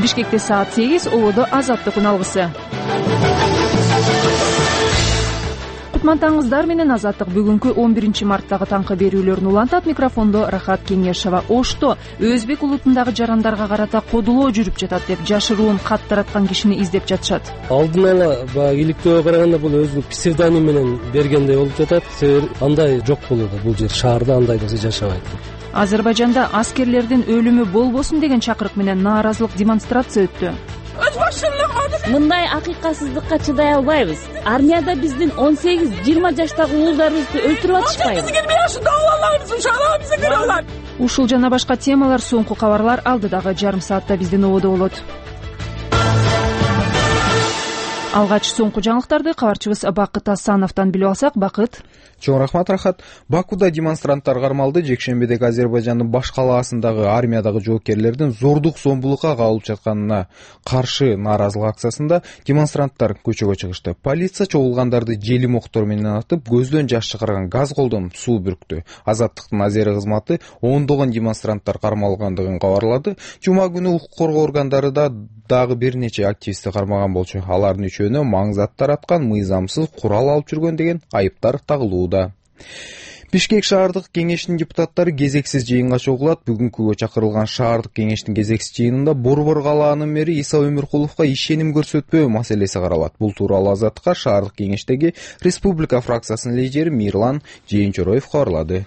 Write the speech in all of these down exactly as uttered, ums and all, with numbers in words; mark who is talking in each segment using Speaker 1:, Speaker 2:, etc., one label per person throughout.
Speaker 1: Бишкекте саат сегиз, ободо Азаттык үналгысы. Кутмантаңыздар менен Азаттык бүгүнкү он биринчи марттагы таңкы берүүлөрүн улантат. Микрофондо Рахат Кеңешова. Ошто өзбек улутундагы жарандарга карата кодулоо жүрүп жатат деп жашыруун кат тараткан кишини издеп жатышат.
Speaker 2: Алдын ала баягы иликтөөгө караганда бул өзүнүн псевдоним менен бергендей болуп жатат. Себеби андай жок болууда, бул жер шаарда андай нерсе жашабайт.
Speaker 1: Азербайжанда аскерлердин өлүмү болбосун деген чакырык менен нааразылык демонстрация өттү.
Speaker 3: Мындай акыйкатсыздыкка чыдай албайбыз. Армияда биздин он сегиз жыйырма жаштагы уулдарыбызды өлтүрүп атышпайбы?
Speaker 1: Ушул жана башка темалар соңку кабарлар алдыдагы жарым саатта биздин ободо болот. Алгач соңку жаңылыктарды кабарчыбыз Бакыт Асановдон билип алсак. Бакыт.
Speaker 4: Чоң рахмат, Рахат. Бакуда демонстранттар кармалды. Жекшембидеги Азербайжандын баш калаасындагы армиядагы жоокерлердин зордук зомбулукка кабылып жатканына каршы нааразылык акциясында демонстранттар көчөгө чыгышты. Полиция чогулгандарды желим октор менен атып, көздөн жаш чыгарган газ колдонуп суу бүрктү. Азаттыктын азери кызматы ондогон демонстранттар кармалгандыгын кабарлады. Жума күнү укук коргоо органдары да дагы бир нече активистти кармаган болчу. Алардын үчөөнө маң зат тараткан, мыйзамсыз курал алып жүргөн деген айыптар тагылууда. Бишкек шаардык кеңештин депутаттары кезексиз жыйынга чогулат. Бүгүнкүгө чакырылган шаардык кеңештин кезексиз жыйынында Борбор калаанын мэри Иса Өмүркуловго ишеним көрсөтпөө маселеси каралат. Бул тууралуу Азаттыкка шаардык кеңештеги Республика фракциясынын лидери Мирлан Жээнчороев кабарлады.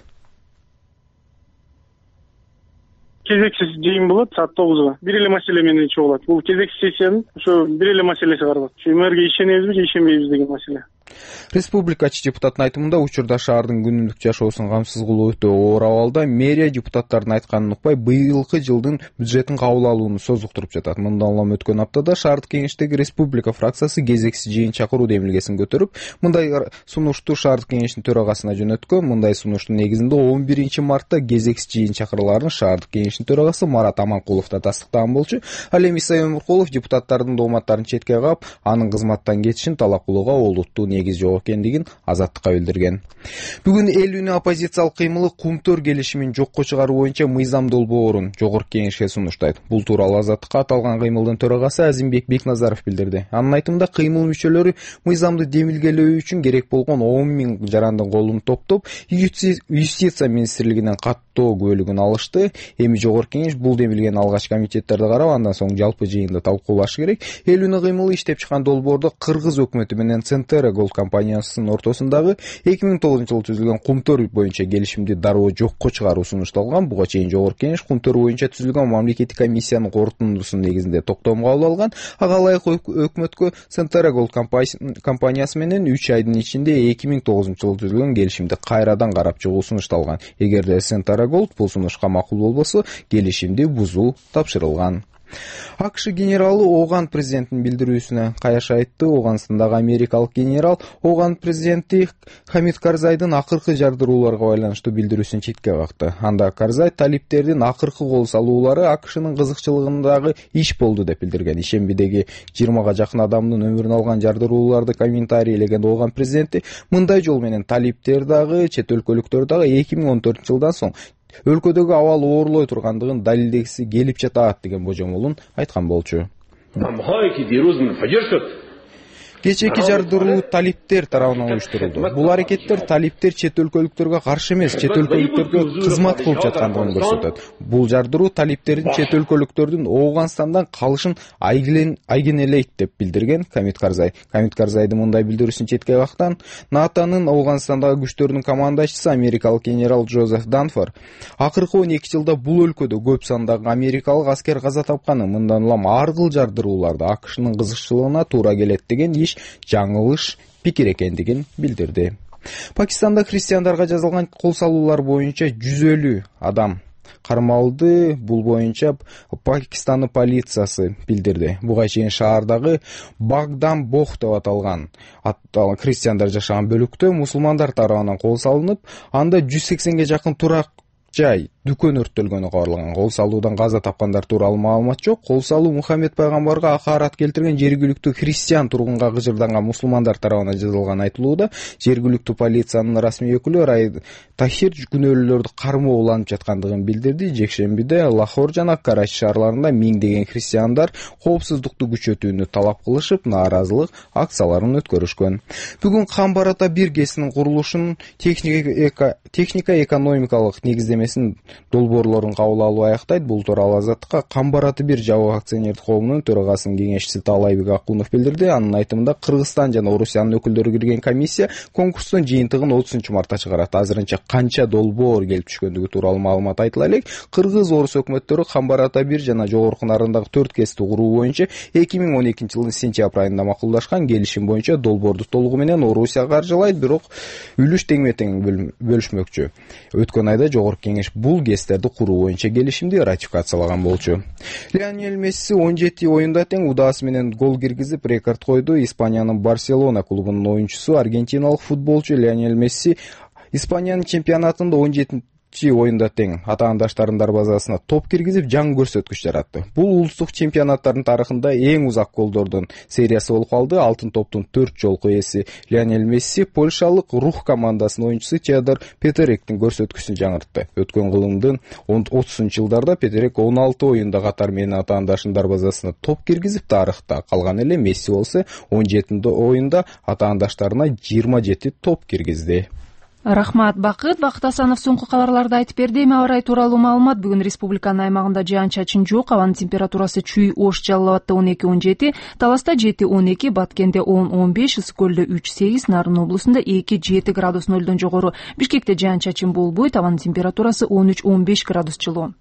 Speaker 5: Кезексиз жыйын болот саат тогузга. Бир эле маселе менен чогулат. Бул кезексиз сессиянын ошо бир эле маселеси каралат. Ушу мэрге ишенебизби же ишенбейбиз деген маселе.
Speaker 4: Республикачы депутаттын айтымында учурда шаардын күнүмдүк жашоосун камсыз кылуу өтө оор абалда. Мэрия депутаттардын айтканын укпай быйылкы жылдын бюджетин кабыл алууну созуктуруп жатат. Мындан улам өткөн аптада шаардык кеңештеги Республика фракциясы кезексиз жыйын чакыруу демилгесин көтөрүп, мындай сунушту шаардык кеңештин төрагасына жөнөткөн. Мындай сунуштун негизинде он биринчи мартта кезексиз жыйын чакырыларын шаардык кеңештин төрагасы Марат Аманкулов да тастыктаган болчу. Ал эми Иса Өмүркулов депутаттардын дооматтарын четке каап, анын кызматтан кетишин талап кылууга олуттуу негиз жок экендигин Азаттыкка билдирген. Бүгүн эл үнү оппозициялык кыймылы Кумтөр келишимин жокко чыгаруу боюнча мыйзам долбоорун жогорку кеңешке сунуштайт. Бул тууралуу Азаттыкка аталган кыймылдын төрагасы Азимбек Бекназаров билдирди. Анын айтымында кыймыл мүчөлөрү мыйзамды демилгелөө үчүн керек болгон он миң жарандын колун топтоп, юстиция министрлигинен каттоо күбөлүгүн алышты. Эми жогорку кеңеш бул демилгени алгач комитеттерди карап, андан соң жалпы жыйында талкуулашы керек. Эл үнү кыймылы иштеп чыккан долбоордо Кыргыз өкмөтү менен Центера Голд компаниясынын ортосундагы эки миң тогузунчу жылы түзүлгөн Кумтөр боюнча келишимди дароо жокко чыгаруу сунушталган. Буга чейин жогорку кеңеш Кумтөр боюнча түзүлгөн мамлекеттик комиссиянын корутундусунун негизинде токтом кабыл алган. Ага ылайык өкмөткө Центера Голд компаниясы менен үч айдын ичинде эки миң тогузунчу жылы түзүлгөн келишимди кайрадан карап чыгуу сунушталган. Эгерде Центера Голд бул сунушка макул болбосо, келишимди бузуу тапшырылган. АКШ генералы Оган президенттин билдирүүсүнө каяш айтты. Оганстандагы америкалык генерал Оган президенти Хамид Карзайдын акыркы жардырууларга байланыштуу билдирүүсүн четке какты. Анда Карзай талиптердин акыркы кол салуулары АКШнын кызыкчылыгындагы иш болду деп билдирген. Ишембидеги жыйырмага жакын адамдын өмүрүн алган жардырууларды комментарийлеген Оган президенти мындай жол менен талиптер дагы, чет өлкөлүктөр дагы эки миң он төртүнчү жылдан соң өлкөдөгү абал оорлой тургандыгын далилдегиси келип жатат деген божомолун айткан болчу. Кечээки жардыруу талиптер тарабынан уюштурулду. Бул аракеттер талиптер чет өлкөлүктөргө каршы эмес, чет өлкөлүктөргө кызмат кылып жаткандыгын көрсөтөт. Бул жардыруу талиптердин чет өлкөлүктөрдүн Ооганстандан калышын айгинелейт деп билдирген Хамид Карзай. Хамид Карзайдын мындай билдирүүсүн четке каккан НАТОнун Ооганстандагы күчтөрүнүн командачысы америкалык генерал Джозеф Данфор акыркы он эки жылда бул өлкөдө көп сандагы америкалык аскер каза тапканын, мындан улам ар кыл жардырууларды АКШнын кызыкчылыгына туура келет деген иш жаңылыш пикир экендигин билдирди. Пакистанда христиандарга жазылган кол салуулар боюнча жүз элүү адам кармалды. Бул боюнча Пакистандын полициясы билдирди. Буга чейин шаардагы Багдам Бох деп аталган христиандар жашаган бөлүктө мусулмандар тарабынан кол салынып, анда жүз сексенге жакын турак жай дүкөн өрттөлгөнү кабарлаган. Кол салуудан каза тапкандар тууралуу маалымат жок. Кол салуу Мухаммед пайгамбарга акаарат келтирген жергиликтүү христиан тургунга кыжырданган мусулмандар тарабынан жасалганы айтылууда. Жергиликтүү полициянын расмий өкүлү Рай Тахир күнөөлүүлөрдү кармоо уланып жаткандыгын билдирди. Жекшембиде Лахор жана Карачи шаарларында миңдеген христиандар коопсуздукту күчөтүүнү талап кылышып, нааразылык акцияларын өткөрүшкөн. Бүгүн Камбарата бир ГЭСинин курулушунун техника экономикалык негиздемесин долбоорлорун кабыл алуу аяктайт. Бул тууралуу Азаттыкка Камбараты бир жабык акционердик коомунун төрагасынын кеңешчиси Таалайбек Акунов билдирди. Анын айтымында Кыргызстан жана Орусиянын өкүлдөрү кирген комиссия конкурстун жыйынтыгын отузунчу мартта чыгарат. Азырынча канча долбоор келип түшкөндүгү тууралуу маалымат айтыла элек. Кыргыз Орус өкмөттөрү Камбарата бир жана жогорку Нарындагы төрт ГЭСти куруу боюнча эки миң он экинчи жылдын сентябрь айында макулдашкан. Келишим боюнча долбоорду толугу менен Орусия каржылайт, бирок үлүш теңме-тең бөлүшмөкчү. Өткөн айда жогорку кеңеш бул ГЭСтерди куруу боюнча келишимди ратификациялаган болчу. Лионель Месси он жети оюнда тең удаасы менен гол киргизип рекорд койду. Испаниянын Барселона клубунун оюнчусу аргентиналык футболчу Лионель Месси Испаниянын чемпионатында он жетинчи оюнда тең атаандаштарынын дарбазасына топ киргизип жаңы көрсөткүч жаратты. Бул улуттук чемпионаттардын тарыхында эң узак голдордун сериясы болуп калды. Алтын топтун төрт жолку ээси Лионель Месси польшалык Рух командасынын оюнчусу Теодор Петеректин көрсөткүчүн жаңыртты. Өткөн кылымдын отузунчу жылдарда Петерек он алты оюнда катар менен атаандашынын дарбазасына топ киргизип тарыхта калган эле. Месси болсо он жети оюнда атаандаштарына жыйырма жети топ киргизди.
Speaker 1: Рахмат, Бакыт. Бакыт Асанов соңку кабарларды айтып берди. Эми аба ырайы тууралуу маалымат. Бүгүн республиканын аймагында жаан-чачын жок. Абанын температурасы Чүй, Ош, Жалал Абадта он эки он жети, Таласта жети он эки, Баткенде он он беш, Ысык көлдө үч сегиз, Нарын облусунда эки жети градус нөлдөн жогору. Бишкекте жаан-чачын болбойт. Абанын температурасы он үч он беш градус жылуу.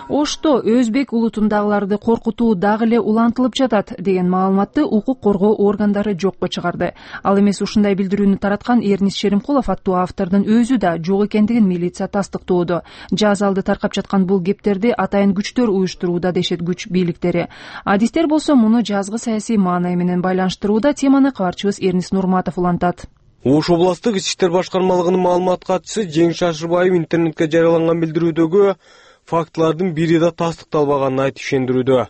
Speaker 1: Ошто өзбек улутундагыларды коркутуу дагы эле улантылып жатат деген маалыматты укук коргоо органдары жокко чыгарды. Ал эмес ушундай билдирүүнү тараткан Эрнис Шеримкулов аттуу автордун өзү да жок экендигин милиция тастыктоодо. Жаз алды таркап жаткан бул кептерди атайын күчтөр уюштурууда дешет күч бийликтери. Адистер болсо муну жазгы саясий маанай менен байланыштырууда. Теманы кабарчыбыз Эрнис Нурматов улантат.
Speaker 6: Ош областык ички иштер башкармалыгынын маалымат катчысы Жеңиш Ашырбаев интернетке жарыяланган билдирүүдөгү фактылардын бири да тастыкталбаганын айтып ишендирүүдө.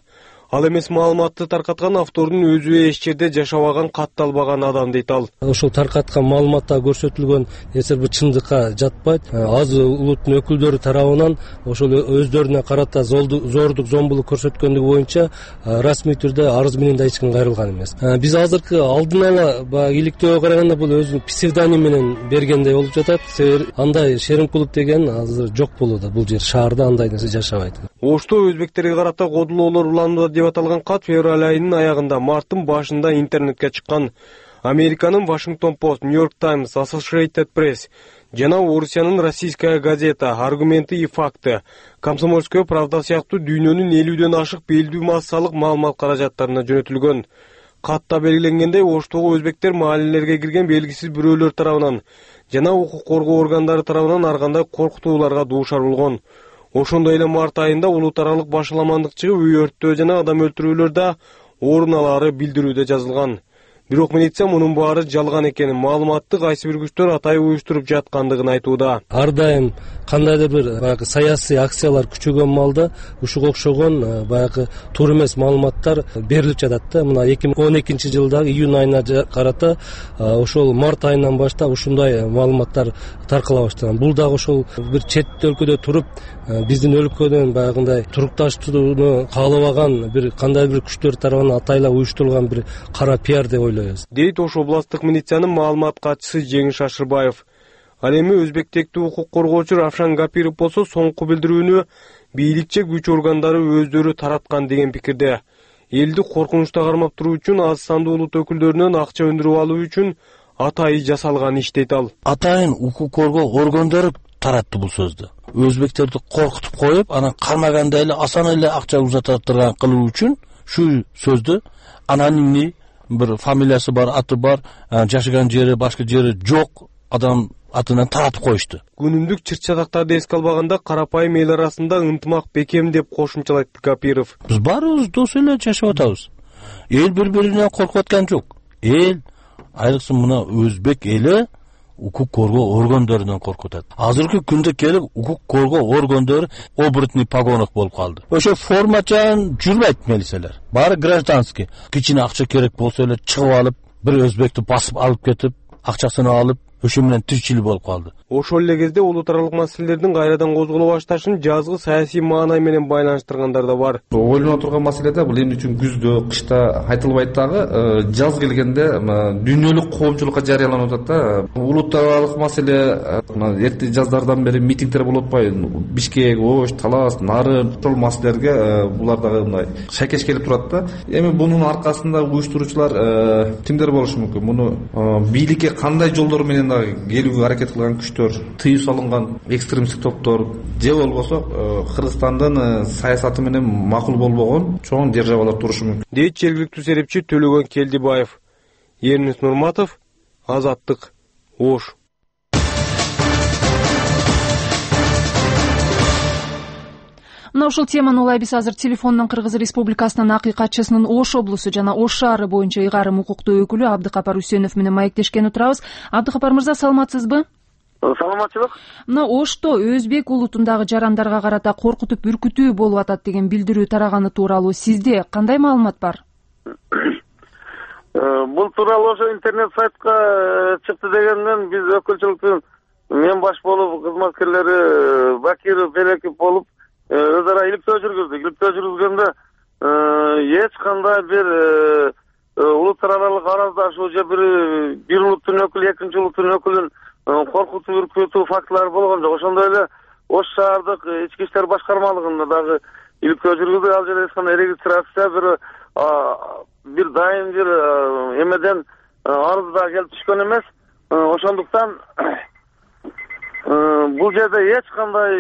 Speaker 6: Ал эмес маалыматты таркаткан автордун өзү эч жерде жашабаган, катталбаган адам дейт ал.
Speaker 2: Ошол таркаткан маалыматта көрсөтүлгөн нерсе бир чындыкка жатпайт. Аз улуттун өкүлдөрү тарабынан ошол өздөрүнө карата зордук, зомбулук көрсөткөндүгү боюнча расмий түрдө арыз менен да эч ким кайрылган эмес. Биз азыркы алдын ала баягы иликтөөгө караганда бул өзүнүн псевдоним менен бергендей болуп жатат. Себеби андай Шеримкулов деген азыр жок болууда. Бул жер шаарда андай нерсе жашабайт.
Speaker 6: Ошто өзбектерге карата кодулоолор уланууда деп аталган кат февраль айынын аягында, марттын башында интернетке чыккан. Американын Washington Post, New York Times, Associated Press жана Орусиянын Российская газета, Аргументы и факты, Комсомольская правда сыяктуу дүйнөнүн элүүдөн ашык белдүү массалык маалымат каражаттарына жөнөтүлгөн. Катта белгиленгендей, Оштогу өзбектер маалелерге кирген белгисиз бирөөлөр тарабынан жана укук коргоо органдары тарабынан ар кандай коркутууларга дуушар болгон. Ошондой эле март айында улут аралык башаламандык чыгып, үй өрттөө жана адам өлтүрүүлөрдө орун алары билдирүүдө жазылган. Бирок милиция мунун баары жалган экенин, маалыматты кайсы бир күчтөр атайын уюштуруп жаткандыгын айтууда.
Speaker 2: Ар дайым кандайдыр бир баягы саясий акциялар күчөгөн маалда ушуга окшогон баягы туура эмес маалыматтар берилип жатат да. Мына эки миң он экинчи жылдагы июнь айына карата ошол март айынан баштап ушундай маалыматтар таркала баштаган. Бул дагы ошол бир чет өлкөдө туруп биздин өлкөдөн баягындай турукташтырууну каалабаган бир кандай бир күчтөр тарабынан атайлап уюштурулган бир кара пиар деп ойлойбуз.
Speaker 6: Дейт Ош областык милициянын маалымат катчысы Жеңиш Ашырбаев. Ал эми өзбектектүү укук коргоочу Равшан Гапиров болсо соңку билдирүүнү бийликче күч органдары өздөрү тараткан деген пикирде. Элди коркунучта кармап туруу үчүн аз сандуу улут өкүлдөрүнөн акча өндүрүп алуу үчүн атайын жасалган иш дейт ал.
Speaker 7: Атайын укук коргоо органдары таратты бул сөздү. Өзбектерди коркутуп коюп, анан кармаганда эле асан эле акча узататтырган кылуу үчүн шу сөздү анонимный бир фамилиясы бар, аты бар, жашаган жери, башка жери жок адам атынан таратып коюшту.
Speaker 6: Күнүмдүк чыр-чатактарды эске албаганда карапайым эл арасында ынтымак бекем деп кошумчалайт Гапиров.
Speaker 7: Биз баарыбыз дос эле жашап атабыз. Эл бири-биринен коркуп аткан жок. эл, айрыкча мына өзбек эли укук коргоо органдарынан коркутат. Азыркы күндө келип укук коргоо органдары оборотный погонах болуп калды. Ошо формачан жүрбөйт милициялар. Баары гражданский. Кичине акча керек болсо эле чыгып алып, бир өзбекти басып алып кетип, акчасын алып, ошо менен тиричилик болуп калды.
Speaker 6: Ошол эле кезде улут аралык маселелердин кайрадан козголо башташын жазгы саясий маанай менен байланыштыргандар да бар.
Speaker 8: Ойлоно турган маселе да бул эмне үчүн күздө, кышта айтылбайт дагы, жаз келгенде дүйнөлүк коомчулукка жарыяланып атат да. Улут аралык маселе эрте жаздардан бери митингдер болуп атпайбы? Бишкек, Ош, Талас, Нарын, ошол маселелерге булар дагы мындай шайкеш келип турат да. Эми бунун аркасында уюштуруучулар кимдер болушу мүмкүн? Муну бийликке кандай жолдор менен дагы келүүгө аракет кылган күчтөр, тыюу салынган экстремисттик топтор же болбосо Кыргызстандын саясаты менен макул болбогон чоң державалар турушу мүмкүн,
Speaker 6: дейт жергиликтүү серепчи Төлөгөн Келдибаев. Эрнис Нурматов, Азаттык, Ош.
Speaker 1: Мына ушул теманы улай биз азыр телефондон Кыргыз Республикасынын акыйкатчысынын Ош облусу жана Ош шаары боюнча ыйгарым укуктуу өкүлү Абдыкапар Үсөнов менен маектешкен отурабыз. Абдыкапар мырза, саламатсызбы?
Speaker 5: Саламатчылык.
Speaker 1: Мына Ошто өзбек улутундагы жарандарга карата коркутуп үркүтүү болуп атат деген билдирүү тараганы тууралуу сизде кандай маалымат бар?
Speaker 5: Бул тууралуу ошо интернет сайтка чыкты дегенден биз өкүлчүлүктүн мен баш болуп кызматкерлери Бакиров, Белеков болуп өз ара иликтөө жүргүздүк. Иликтөө жүргүзгөндө эч кандай бир улуттар аралык араздашуу же бир бир улуттун өкүлү экинчи улуттун өкүлүн коркутуп үркүтүү фактылары болгон жок. Ошондой эле Ош шаардык ички иштер башкармалыгында дагы иликтөө жүргүздүк. Ал жерде эч кандай регистрация бир бир дайым бир эмеден арыз да келип түшкөн эмес. Ошондуктан бул жерде эч кандай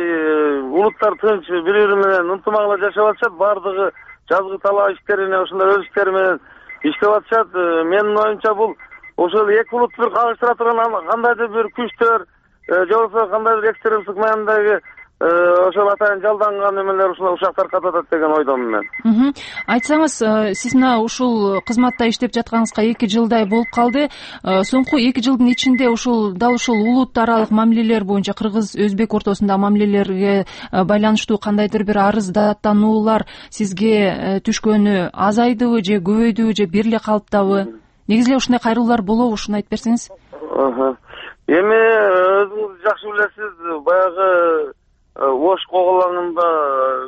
Speaker 5: улуттар тынч бири бири менен ынтымак жашап атышат. Бардыгы жазгы талаа иштерине ошондой өз иштери менен иштеп атышат. Менин оюмча бул ошол эки улутту бир кагыштыра турган кандайдыр бир күчтөр же болбосо кандайдыр экстремисттик маанидagi ошол атайын жалданган эмелер ушул ушак таркатып атат деген ойдомун мен.
Speaker 1: Айтсаңыз, сиз мына ушул кызматта иштеп жатканыңызга эки жылдай болуп калды. Соңку эки жылдын ичинде ушул дал ушул улут аралык мамилелер боюнча Кыргыз өзбек ортосундагы мамилелерге байланыштуу кандайдыр бир арыз даттануулар сизге түшкөнү азайдыбы же көбөйдүбү же бир эле калыптабы? Негизи эле ушундай кайрылуулар болобу? Ушуну айтып берсеңиз.
Speaker 5: Эми өзүңүз жакшы билесиз, баягы Ош коголаңында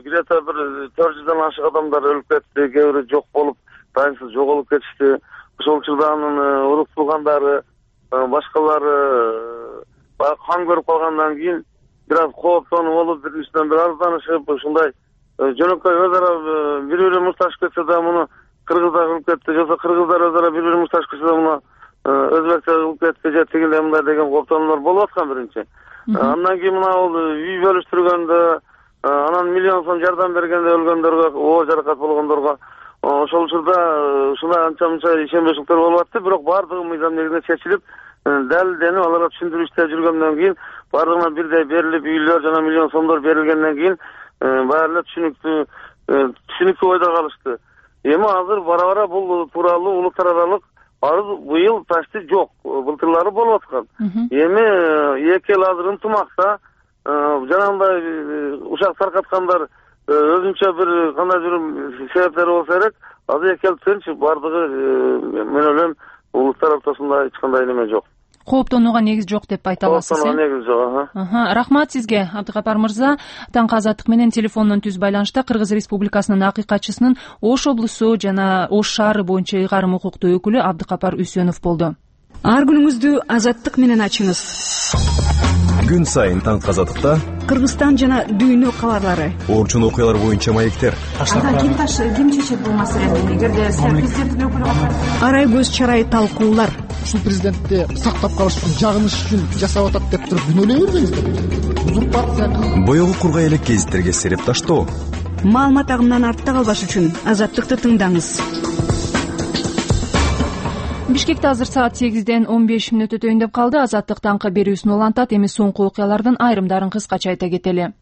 Speaker 5: где-то бир төрт жүздөн ашык адамдар өлүп кетти, кээ бири жок болуп, дайымсыз жоголуп кетишти. Ошол учурда анын урук туугандары, башкалары баягы кан көрүп калгандан кийин бир аз кооптонуп болуп, бир биринен бир арызданышып, ушундай жөнөкөй өз ара бири бири мушташып кетсе да муну кыргыздар кылып кетти, же болбосо кыргыздар өз ара бири бири мушташып кетсе да муну өзбектер кылып кетти, же тигиле мындай деген кооптонуулар болуп аткан биринчи. Андан кийин мына бул үй бөлүштүргөндө, анан миллион сом жардам бергенде өлгөндөргө, оо жаракат болгондорго ошол учурда ушундай анча мынча ишенбеушиликтер болуп атты. Бирок баардыгы мыйзам негизинде чечилип, далилденип, аларга түшүндүрүү иштери жүргөндөн кийин баардыгына бирдей берилип, үйлөр жана миллион сомдор берилгенден кийин баары эле түшүнүктүү түшүнүктүү ойдо калышты. Эми азыр бара-бара бул тууралуу улуттар аралык арыз быйыл почти жок, былтырлары болуп аткан. Эми эки эл азыр ынтымакта, жанагындай ушак таркаткандар өзүнчө бир кандайдыр себептери болсо керек, азыр эки эл тынч, бардыгы мен ойлойм улуттар ортосунда эч кандай неме жок.
Speaker 1: Кооптонууга негиз жок деп айта аласыз.
Speaker 5: Кооптонууга негиз жок.
Speaker 1: Рахмат сизге, Абдыкапар мырза. Таңкы Азаттык менен телефондон түз байланышта Кыргыз Республикасынын акыйкатчысынын Ош облусу жана Ош шаары боюнча ыйгарым укуктуу өкүлү Абдыкапар Үсөнов болду.
Speaker 9: Ар күнүңүздү Азаттык менен ачыңыз.
Speaker 10: Күн сайын Таңкы Азаттыкта
Speaker 9: Кыргызстан жана дүйнө кабарлары,
Speaker 10: орчун окуялар боюнча маектер.
Speaker 9: Ким таш ким чечет бул маселени? Эгерде президенттин өкүлү арай көз чарай талкуулар.
Speaker 11: Ушул президентти сактап калыш үчүн, жагыныш үчүн жасап атат деп туруп күнөөлөй бербеңиздер. Узурпация.
Speaker 10: Боёгу кургай элек гезиттерге сереп таштоо.
Speaker 9: Маалымат агымынан артта калбаш үчүн Азаттыкты тыңдаңыз.
Speaker 1: Бишкекте азыр саат сегизден он беш мүнөт өтөйүн деп калды. Азаттык таңкы берүүсүн улантат. Эми соңку окуялардын айрымдарын кыскача айта кетели.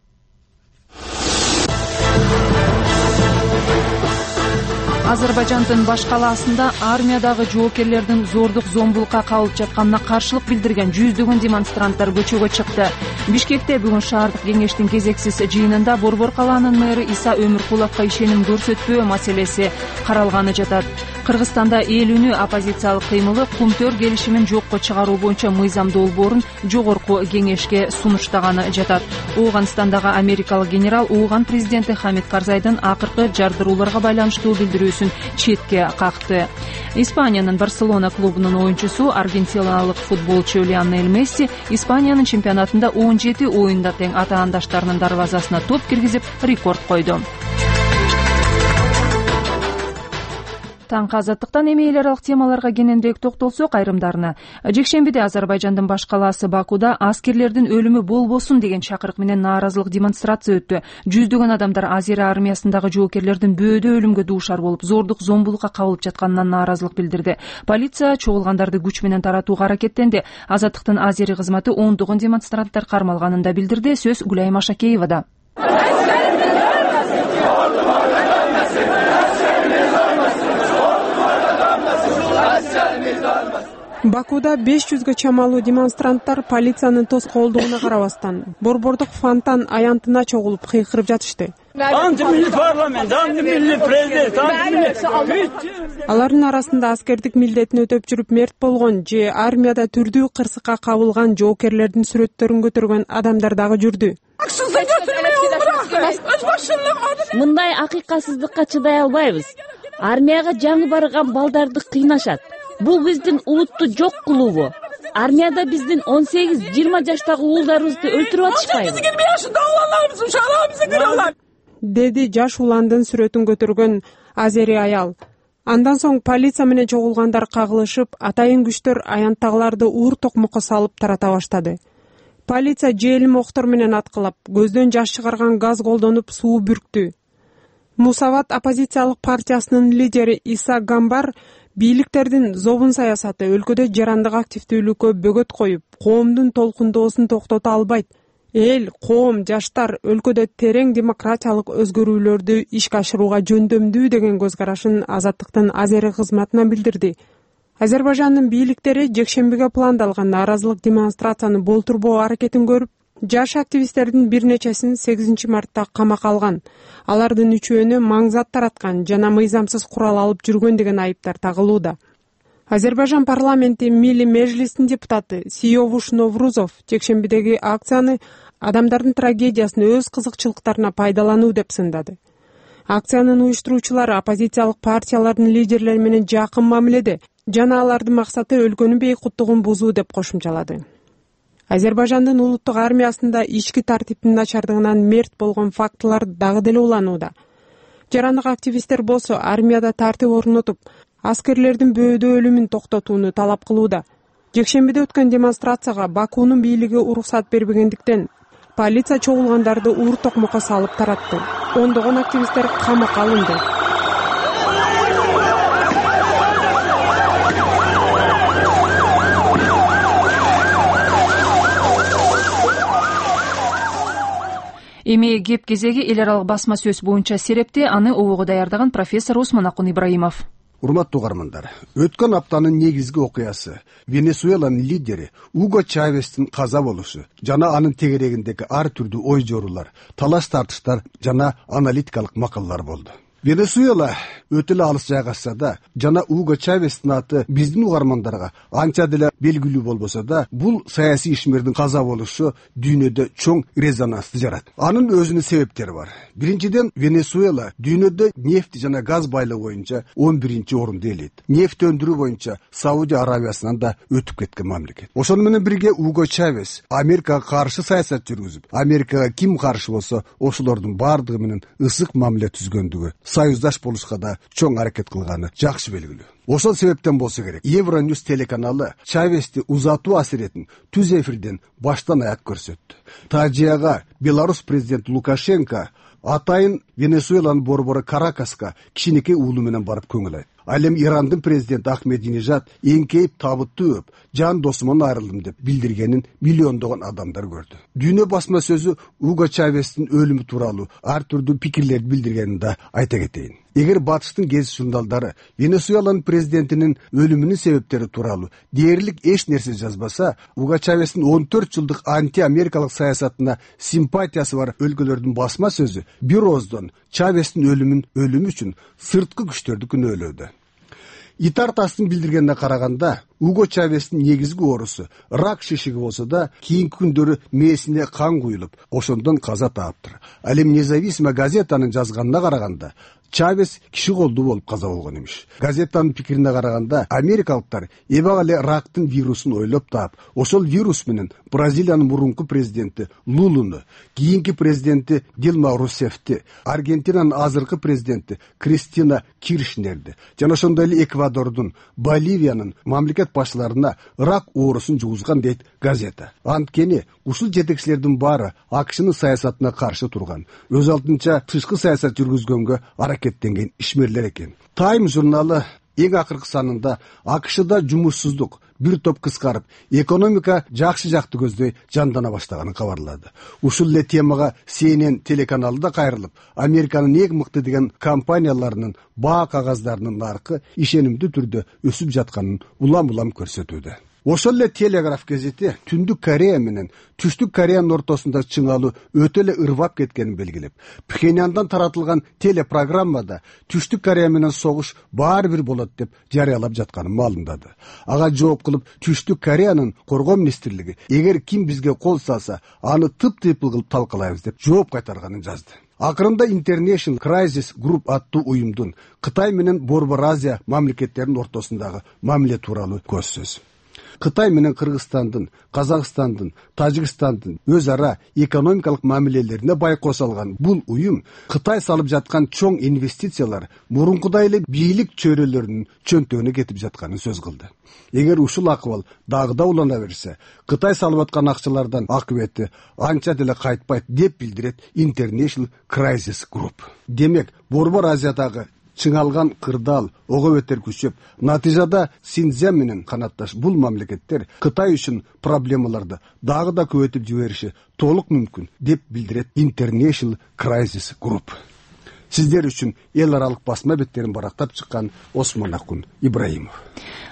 Speaker 1: Азербайжандын баш калаасында армиядагы жоокерлердин зордук зомбулукка кабылып жатканына каршылык билдирген жүздөгөн демонстранттар көчөгө чыкты. Бишкекте бүгүн шаардык кеңештин кезексиз жыйынында Борбор калаанын мэрі Иса Өмүркуловго ишеним көрсөтпөө маселеси каралганы жатат. Кыргызстанда эл үнү оппозициялык кыймылы Кумтөр келишимин жокко чыгаруу боюнча мыйзам долбоорун жогорку кеңешке сунуштаганы жатат. Ооганстандагы америкалык генерал Ооган президенти Хамид Карзайдын акыркы жардырууларга байланыштуу билдирүүсүн четке какты. Испаниянын Барселона клубунун оюнчусу аргентиналык футболчу Лионель Месси Испаниянын чемпионатында он жети оюнда тең атаандаштарынын дарбазасына топ киргизип рекорд койду. Таңкы азаттыктан эми эл аралык темаларга кененирээк токтолсок, айрымдарына. Жекшембиде Азербайжандын баш калаасы Бакуда аскерлердин өлүмү болбосун деген чакырык менен нааразылык демонстрация өттү. Жүздөгөн адамдар Азия армиясындагы жоокерлердин бөөдө өлүмгө дуушар болуп, зордук зомбулукка кабылып жатканынан нааразылык билдирди. Полиция чогулгандарды күч менен таратууга аракеттенди. Азаттыктын Азери кызматы ондогон демонстранттар кармалганын да билдирди. Сөз Гүлайым Ашакеевада.
Speaker 12: Бакуда беш жүзгө чамалуу демонстранттар полициянын тоскоолдугуна карабастан борбордук фонтан аянтына чогулуп кыйкырып жатышты. Алардын арасында аскердик милдетин өтөп жүрүп мерт болгон же армияда түрдүү кырсыкка кабылган жоокерлердин сүрөттөрүн көтөргөн адамдар дагы жүрдү.
Speaker 3: Мындай акыйкатсыздыкка чыдай албайбыз. Армияга жаңы барган балдарды кыйнашат. Бул биздин улутту жок кылуубу? Армияда биздин он сегиз жыйырма жаштагы уулдарыбызды өлтүрүп атышпайбы?
Speaker 12: Деди жаш уландын сүрөтүн көтөргөн азери аял. Андан соң полиция менен чогулгандар кагылышып, атайын күчтөр аянттагыларды уур токмокко салып тарата баштады. Полиция желим октор менен аткылап, көздөн жаш чыгарган газ колдонуп суу бүрктү. Мусават оппозициялык партиясынын лидери Иса Гамбар бийликтердин зобун саясаты өлкөдө жарандык активдүүлүккө бөгөт коюп, коомдун толкундоосун токтото албайт. Эл, коом, жаштар өлкөдө терең демократиялык өзгөрүүлөрдү ишке ашырууга жөндөмдүү деген көз карашын Азаттыктын Азери кызматына билдирди. Азербайжандын бийликтери жекшембиге пландалган нааразылык демонстрацияны болтурбоо аракетин көрүп, жаш активисттердин бир нечесин сегизинчи мартта камакка алган. Алардын үчөөнү маңзат тараткан жана мыйзамсыз курал алып жүргөн деген айыптар тагылууда. Азербайжан парламенти Милли Межлистин депутаты Сиёвуш Новрузов жекшембидеги акцияны адамдардын трагедиясын өз кызыкчылыктарына пайдалануу деп сындады. Акциянын уюштуруучулары оппозициялык партиялардын лидерлери менен жакын мамиледе жана алардын максаты өлкөнүн бейкуттугун бузуу деп кошумчалады. Азербайжандын улуттук армиясында ички тартиптин начардыгынан мерт болгон фактылар дагы деле уланууда. Жарандык активисттер болсо армияда тартип орнотуп, аскерлердин бөөдө өлүмүн токтотууну талап кылууда. Жекшембиде өткөн демонстрацияга Бакунун бийлиги уруксат бербегендиктен полиция чогулгандарды уур токмокко салып таратты. Ондогон активисттер камакка алынды.
Speaker 1: Эми кеп кезеги эл аралык басма сөз боюнча серепти, аны обого даярдаган профессор Осмонакун Ибраимов.
Speaker 13: Урматтуу угармандар, өткөн аптанын негизги окуясы Венесуэланын лидери Уго Чавестин каза болушу жана анын тегерегиндеги ар түрдүү ой жоорулар, талаш тартыштар жана аналитикалык макалалар болду. Венесуэла өтө эле алыс жайгашса да, жана Уго Чавестин аты биздин угармандарга анча деле белгилүү болбосо да, бул саясий ишмердин каза болушу дүйнөдө чоң резонансты жарат. Анын өзүнүн себептери бар. Биринчиден, Венесуэла дүйнөдө нефть жана газ байлыгы боюнча он биринчи орунду ээлейт. Нефть өндүрүү боюнча Саудия Аравиясынан да өтүп кеткен мамлекет. Ошону менен бирге Уго Чавес Америкага каршы саясат жүргүзүп, Америкага ким каршы болсо, ошолордун бардыгы менен ысык мамиле түзгөндүгү, союздаш болушка да чоң аракет кылганы жакшы белгилүү. Ошол себептен болсо керек, Евроньюз телеканалы Чавести узатуу асиретин түз эфирден баштан аяк көрсөттү. Тажияга Беларусь президенти Лукашенко атайын Венесуэланын борбору Каракаска кичинекей уулу менен барып көңүл айтты. Ал эми Ирандын президенти Ахмединежад эңкейип табыттуу өп, жан досуман айрылдым деп билдиргенин миллиондогон адамдар көрдү. Дүйнө басма сөзү Уго Чавестин өлүмү тууралуу ар түрдүү пикирлерди билдиргенин да айта кетейин. эгер батыштын гезит журналдары Венесуэланын президентинин өлүмүнүн себептери тууралуу дээрлик эч нерсе жазбаса, Уго Чавестин он төрт жылдык анти-америкалык саясатына симпатиясы бар өлкөлөрдүн басма сөзү бир ооздон Чавестин өлүмүн өлүмү үчүн сырткы күчтөрдү күнөөлөдү. Итартастын билдиргенине караганда, Уго Чавестин негизги оорусу рак шишиги болсо да, кийинки күндөрү мээсине кан куюлуп, ошондон каза тааптыр. Ал эми Независимая газетанын жазганына караганда, Чавес киши колдуу болуп каза болгон имиш. Газетанын пикирине караганда, америкалыктар эбак эле рактын вирусун ойлоп таап, ошол вирус менен Бразилиянын мурунку президенти Лулуну, кийинки президенти Дилма Русефти, Аргентинанын азыркы президенти Кристина Киршнерди жана ошондой эле Эквадордун, Боливиянын мамлекет башчыларына рак оорусун жугузган дейт газета. Анткени ушул жетекчилердин баары АКШнын саясатына каршы турган, өз алдынча тышкы саясат жүргүзгөнгө аракеттенген ишмерлер экен. Time журналы эң акыркы санында АКШда жумушсуздук бир топ кыскарып, экономика жакшы жакты көздөй жандана баштаганын кабарлады. Ушул эле темага Си Эн Эн телеканалы да кайрылып, Американын эң мыкты деген компанияларынын баа кагаздарынын наркы ишенимдүү түрдө өсүп жатканын улам-улам көрсөтүүдө. Ошол эле Телеграф газети Түндүк Корея менен Түштүк Кореянын ортосунда чыңалуу өтө эле ырвап кеткенин белгилеп, Пхеньяндан таратылган телепрограммада Түштүк Корея менен согуш баары бир болот деп жарыялап жатканын маалымдады. Ага жооп кылып Түштүк Кореянын коргоо министрлиги эгер ким бизге кол салса, аны тып-тыйпыл кылып талкалайбыз деп жооп кайтарганын жазды. Акырында International Crisis Group аттуу уюмдун Кытай менен Борбор Азия мамлекеттеринин ортосундагы мамиле тууралуу көз сөз. Кытай менен Кыргызстандын, Казакстандын, Тажикстандын өз ара экономикалык мамилелерине байкоо салган бул уюм Кытай салып жаткан чоң инвестициялар мурункудай эле бийлик чөйрөлөрүнүн чөнтөгүнө кетип жатканын сөз кылды. Эгер ушул акыбал дагы да улана берсе, Кытай салып аткан акчалардан акыбети анча деле кайтпайт деп билдирет International Crisis Group. Демек, Борбор Азиядагы чыңалган кырдаал ого бетер күчөп, натыйжада Синьцзян менен канатташ бул мамлекеттер Кытай үчүн проблемаларды дагы да көбөйтүп жибериши толук мүмкүн деп билдирет International Crisis Group. Сиздер үчүн эл аралык басма беттерин барактап чыккан Осмонакун Ибраимов.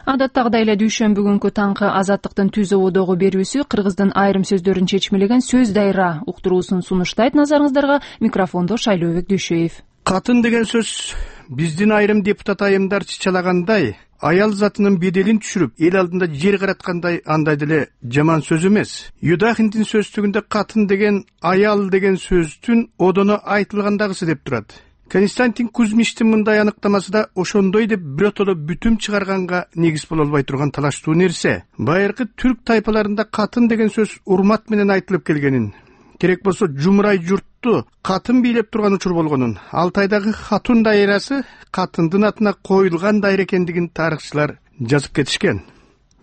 Speaker 1: Адаттагыдай эле дүйшөмбү күнкү таңкы Азаттыктын түз ободогу берүүсү Кыргыздын айрым сөздөрүн чечмелеген сөз дайра уктуруусун сунуштайт. Назарыңыздарга микрофондо Шайлообек Дүйшөев.
Speaker 14: Катын деген сөз биздин айрым депутат айымдар чычалагандай, аял затынын беделин түшүрүп, эл алдында жер караткандай андай деле жаман сөз эмес. Юдахиндин сөздүгүндө катын деген аял деген сөздүн одоно айтылгандагысы деп турат. Константин Кузьмичтин мындай аныктамасы да ошондой деп биротоло бүтүм чыгарганга негиз боло албай турган талаштуу нерсе. Байыркы түрк тайпаларында катын деген сөз урмат менен айтылып келгенин, керек болсо жумурай журтту катын бийлеп турган учур болгонун, Алтайдагы Хатун дайрасы катындын атына коюлган дайра экендигин тарыхчылар жазып кетишкен.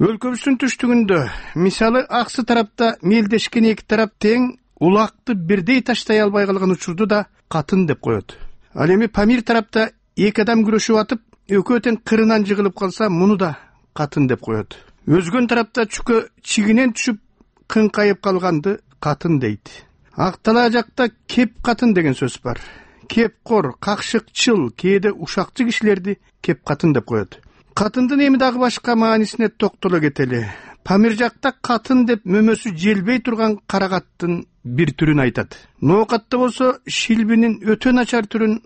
Speaker 14: Өлкөбүздүн түштүгүндө, мисалы аксы тарапта мелдешкен эки тарап тең улакты бирдей таштай албай калган учурду да катын деп коет. Ал эми Памир тарапта эки адам күрөшүп атып, экөө тең кырынан жыгылып калса, муну да катын деп коет. Өзгөн тарапта чүкө чигинен түшүп кыңкайып калганды катын дейт. Актала жакта кеп катын деген сөз бар. Кепкор, какшыкчыл, кээде ушакчы кишилерди кеп катын деп коет. Катындын эми дагы башка маанисине токтоло кетели. Памир жакта катын деп мөмөсү желбей турган карагаттын бир түрүн айтат. Ноокатта болсо шилбинин өтө начар түрүн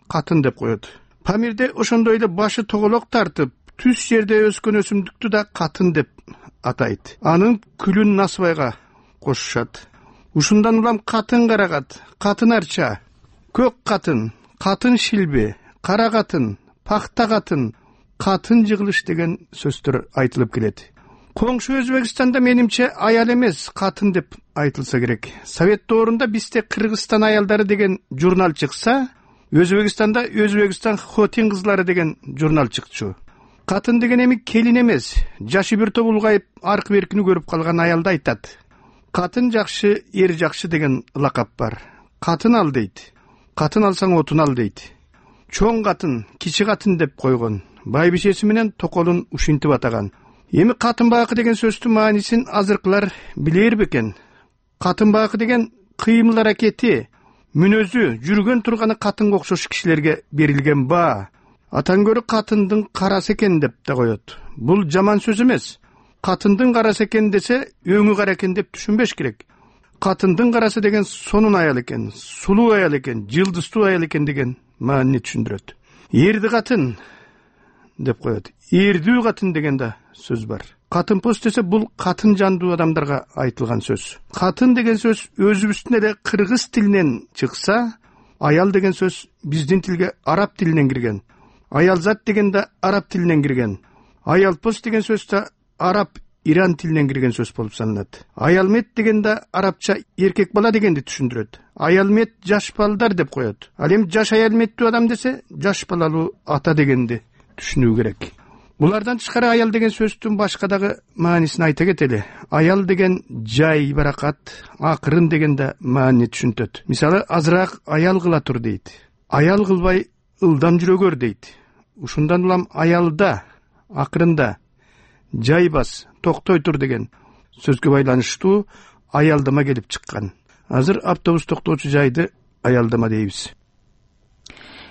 Speaker 14: катын деп коет. Памирде ошондой эле башы тоголок тартып, түз жерде өскөн өсүмдүктү да катын деп атайт. Анын күлүн насыбайга кошушат. Ушундан улам катын карагат, катын арча, көк катын, катын шилби, кара катын, пахта катын, катын жыгылыш деген сөздөр айтылып келет. Коңшу Өзбекстанда менимче аял эмес, катын деп айтылса керек. Совет доорунда бизде Кыргызстан аялдары деген журнал чыкса, Өзбекстанда Өзбекстан хотин кызлары деген журнал чыкчу. Катын деген эми келин эмес, жашы бир топ улгайып, аркы беркини көрүп калган аялды айтат. Катын жакшы, эр жакшы деген лакап бар. Катын ал дейт. Катын алсаң отун ал дейт. Чоң катын, кичи катын деп койгон. Байбишеси менен токолун ушинтип атаган. Эми катын бакы деген сөздүн маанисин азыркылар билер бекен. Катын бакы деген кыймыл аракети, мүнөзү, жүргөн турганы катынга окшош кишилерге берилген баа. Атан көрө катындын карасы экен деп да коет. Бул жаман сөз эмес. Катындын карасы экен десе, өңү кара экен деп түшүнбеш керек. Катындын карасы деген сонун аял экен, сулуу аял экен, жылдыздуу аял экен деген маанини түшүндүрөт. Эрди катын деп коет. Эрдүү катын деген да сөз бар. Катын пост десе бул катын жандуу адамдарга айтылган сөз. Катын деген сөз өзүбүздүн эле кыргыз тилинен чыкса, аял деген сөз биздин тилге араб тилинен кирген. Аялзат деген да араб тилинен кирген. Аялпост деген сөз да араб Иран тилинен кирген сөз болуп саналат. Аялмет деген да арабча эркек бала дегенди түшүндүрөт. Аялмет жаш балдар деп коет. Ал эми жаш аялметтүү адам десе, жаш балалуу ата дегенди түшүнүү керек. Булардан тышкары аял деген сөздүн башка дагы маанисин айта кетели. Аял деген жай, баракат, акырын деген да маани түшүнтөт. Мисалы, азыраак аял кыла тур дейт. Аял кылбай ылдам жүрө көр дейт. Ушундан улам аялда, акырында, жай бас, токтой тур деген сөзгө байланыштуу аялдама келип чыккан. Азыр автобус токтоочу жайды аялдама дейбиз.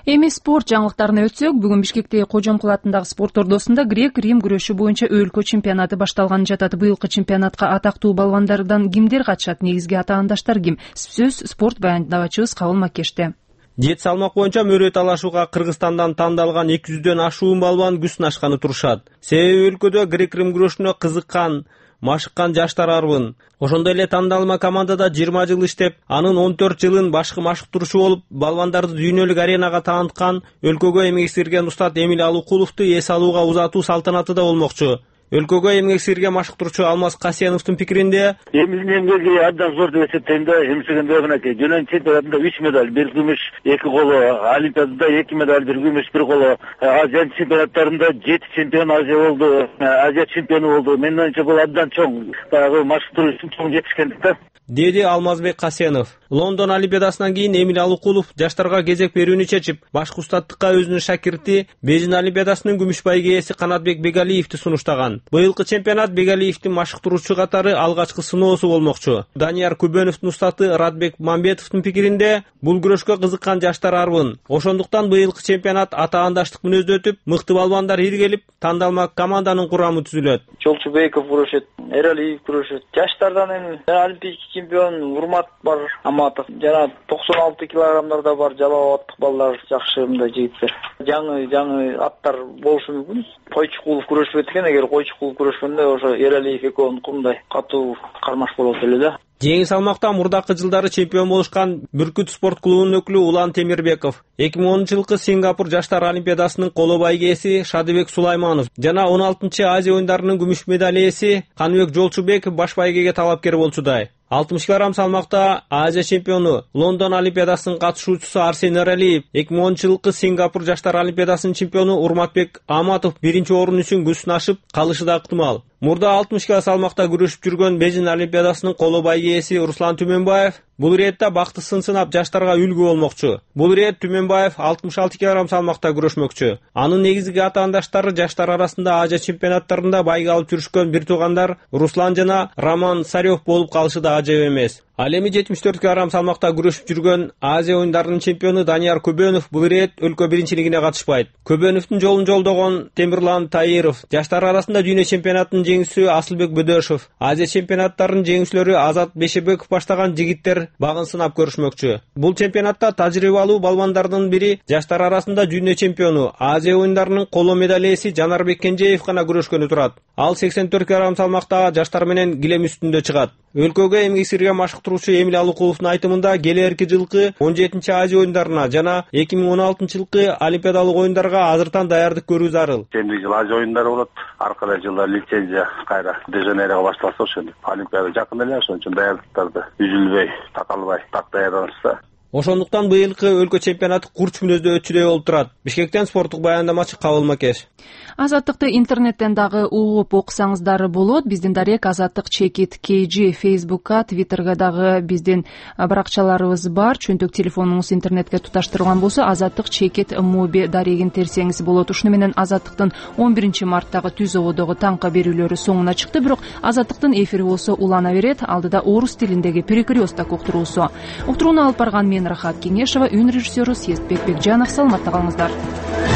Speaker 1: Эми спорт жаңылыктарына өтсөк, бүгүн Бишкектеги Кожомкул атындагы спорт ордосунда грек-рим күрөшү боюнча өлкө чемпионаты башталган жатат. Быйылкы чемпионатка атактуу балбандардан кимдер катышат, негизги атаандаштар ким? Сөз спорт баяндабачыбыз Кабыл Макеште.
Speaker 15: Жет салмак боюнча мөрөт талашууга Кыргызстандан тандалган эки жүздөн ашуун балбан күз сынашканы турушат. Себеби өлкөдө грек-рим күрөшүнө кызыккан, машыккан жаштар арбын. Ошондой эле тандалма командада жыйырма жыл иштеп, анын он төрт жылын башкы машыктыруучу болуп, балбандарды дүйнөлүк аренага тааныткан өлкөгө эмгек сиңирген устат Эмиль Алыкуловду эс алууга узатуу салтанаты да болмокчу. Өлкөгө эмгек сиңирген машыктыруучу Алмаз Касеновдун пикиринде,
Speaker 16: Эмилдин эмгеги абдан зор деп эсептейм да. Эмсегенде мынакей жөнөн чемпионатында үч медаль, бир күмүш, эки коло, Олимпиадада эки медаль, бир күмүш, бир коло, Азия чемпионаттарында жети чемпион Азия болду, Азия чемпиону болду. Менин оюмча бул абдан чоң, баягы машыктыруу үчүн чоң жетишкендик да.
Speaker 15: деди Алмазбек Касенов. Лондон Олимпиадасынан кийин Эмиль Алыкулов жаштарга кезек берүүнү чечип, башкы устаттыкка өзүнүн шакирти Бейжин Олимпиадасынын күмүш байге ээси Канатбек Бегалиевди сунуштаган. Быйылкы чемпионат Бегалиевдин машыктыруучу катары алгачкы сыноосу болмокчу. Данияр Күбөновдун устаты Радбек Мамбетовдун пикиринде, бул күрөшкө кызыккан жаштар арбын. Ошондуктан быйылкы чемпионат атаандаштык мүнөздө өтүп, мыкты балбандар иргелип, тандалма команданын курамы түзүлөт.
Speaker 17: Жолчубеков күрөшөт, Эралиев күрөшөт. Жаштардан эми олимпийский чемпион Урмат бар, Аматов. Жана токсон алты килограммдарда бар жалал абадтык балдар жакшы мындай жигиттер. Жаңы жаңы аттар болушу мүмкүн. Койчукулов күрөшпөйт экен, эгер Койчукулов күрөшкөндө ошо Эралиев экөөнүн мындай катуу кармаш болот эле да.
Speaker 15: Жеңил салмакта мурдакы жылдары чемпион болушкан Бүркүт спорт клубунун өкүлү Улан Темирбеков, эки миң онунчу жылкы Сингапур жаштар олимпиадасынын коло байге ээси Шадыбек Сулайманов жана он алтынчы Азия оюндарынын күмүш медаль ээси Каныбек Жолчубеков баш байгеге талапкер болчудай. алтымыш килограмм салмакта Азия чемпиону, Лондон олимпиадасынын катышуучусу Арсен Эралиев, эки миң онунчу жылкы Сингапур жаштар олимпиадасынын чемпиону Урматбек Аматов биринчи орун үчүн күз сынашып калышы да ыктымал. Мурда алтымыш кило салмакта күрөшүп жүргөн Бейжин олимпиадасынын коло байге ээси Руслан Түмөнбаев бул иретте бакты сын сынап жаштарга үлгү болмокчу. Бул ирет Түмөнбаев алтымыш алты килограмм салмакта күрөшмөкчү. Анын негизги атаандаштары жаштар арасында Азия чемпионаттарында байга алып жүрүшкөн бир туугандар Руслан жана Роман Сарёв болуп калышы да ажайып эмес. Ал эми жетимиш төрт килограмм салмакта күрөшүп жүргөн Азия оюндарынын чемпиону Данияр Күбөнов бул ирет өлкө биринчилигине катышпайт. Күбөновдун жолун жолдогон Темирлан Таиров, жаштар арасында дүйнө чемпионатынын жеңүүчүсү Асылбек Бөдөшов, Азия чемпионаттарынын жеңүүчүлөрү Азат Бешебеков баштаган жигиттер багын сынап көрүшмөкчү. Бул чемпионатта тажрыйбалуу балбандардын бири жаштар арасында дүйнө чемпиону, Азия оюндарынын коло медаль ээси Жанарбек Кенжеев гана күрөшкөнү турат. Ал сексен төрт килограмм салмакта жаштар менен килем үстүндө чыгат. Өлкөгө эмгек сиңирген машыктыруучу Эмиль Алыкуловдун айтымында келерки жылкы он жетинчи Азия оюндарына жана эки миң он алтынчы жылкы Олимпиадалык оюндарга азыртан даярдык көрүү зарыл.
Speaker 18: Кийинки жыл Азия оюндары болот. Аркада жылда лицензия кайра Де-Жанейрого башталса ошондо Олимпиада жакын эле, ошон үчүн даярдыктарды үзүлбөй, такалбай так даярданышса.
Speaker 15: Ошондуктан быйылкы өлкө чемпионаты курч мүнөздө өтчүдөй болуп турат. Бишкектен спорттук баяндамачы Кабыл Макеш.
Speaker 1: Азаттыкты интернеттен дагы угуп окусаңыздар болот. Биздин дарек Азаттык чекит кей жи Фейсбукка, Твиттерге дагы биздин баракчаларыбыз бар. Чөнтөк телефонуңуз интернетке туташтырылган болсо Азаттык чекит моби дарегин терсеңиз болот. Ушуну менен Азаттыктын он биринчи марттагы түз ободогу таңка берүүлөрү соңуна чыкты, бирок Азаттыктын эфири болсо улана берет. Алдыда орус тилиндеги перекресток уктуруусу. Уктурууну алып барган мен Рахат Кеңешова, үн режиссеру Сестбек Бекжанов. Саламатта калыңыздар.